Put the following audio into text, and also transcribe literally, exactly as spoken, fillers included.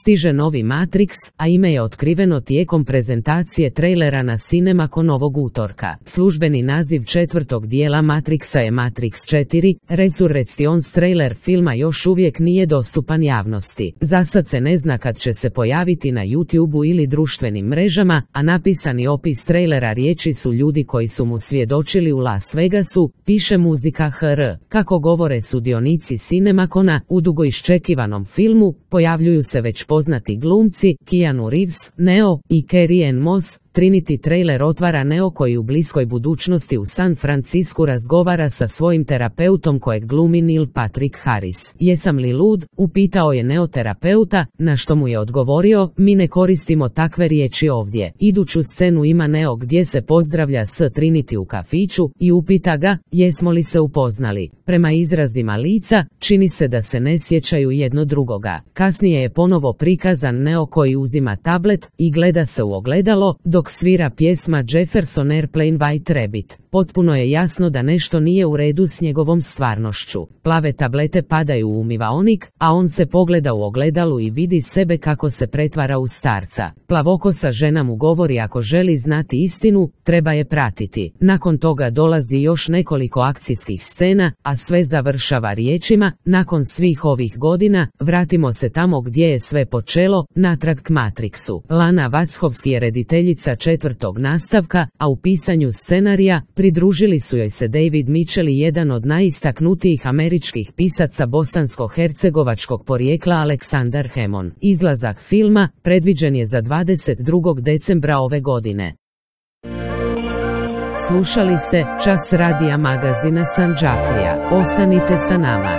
Stiže novi Matrix, a ime je otkriveno tijekom prezentacije trailera na Cinemacon ovog utorka. Službeni naziv četvrtog dijela Matrixa je Matrix četiri, Resurrections. Trailer filma još uvijek nije dostupan javnosti. Zasad se ne zna kad će se pojaviti na YouTubeu ili društvenim mrežama, a napisani opis trailera riječi su ljudi koji su mu svjedočili u Las Vegasu, piše Muzika ha er. Kako govore sudionici Cinemacona, u dugo iščekivanom filmu pojavljuju se već poznati glumci Keanu Reeves, Neo i Carrie-Anne Moss. Trinity trailer otvara Neo koji u bliskoj budućnosti u San Francisku razgovara sa svojim terapeutom kojeg glumi Neil Patrick Harris. Jesam li lud? Upitao je Neo terapeuta, na što mu je odgovorio, mi ne koristimo takve riječi ovdje. Iduću scenu ima Neo gdje se pozdravlja s Trinity u kafiću i upita ga, jesmo li se upoznali. Prema izrazima lica, čini se da se ne sjećaju jedno drugoga. Kasnije je ponovo prikazan Neo koji uzima tablet i gleda se u ogledalo, dok svira pjesma Jefferson Airplane White Rabbit. Potpuno je jasno da nešto nije u redu s njegovom stvarnošću. Plave tablete padaju u umivaonik, a on se pogleda u ogledalu i vidi sebe kako se pretvara u starca. Plavokosa žena mu govori ako želi znati istinu, treba je pratiti. Nakon toga dolazi još nekoliko akcijskih scena, a sve završava riječima, nakon svih ovih godina, vratimo se tamo gdje je sve počelo, natrag k Matrixu. Lana Wachowski je rediteljica četvrtog nastavka, a u pisanju scenarija pridružili su joj se David Mitchell i jedan od najistaknutijih američkih pisaca bosansko-hercegovačkog porijekla Aleksandar Hemon. Izlazak filma predviđen je za dvadeset drugog decembra ove godine. Slušali ste Čas radija magazina Sandžaklija. Ostanite sa nama.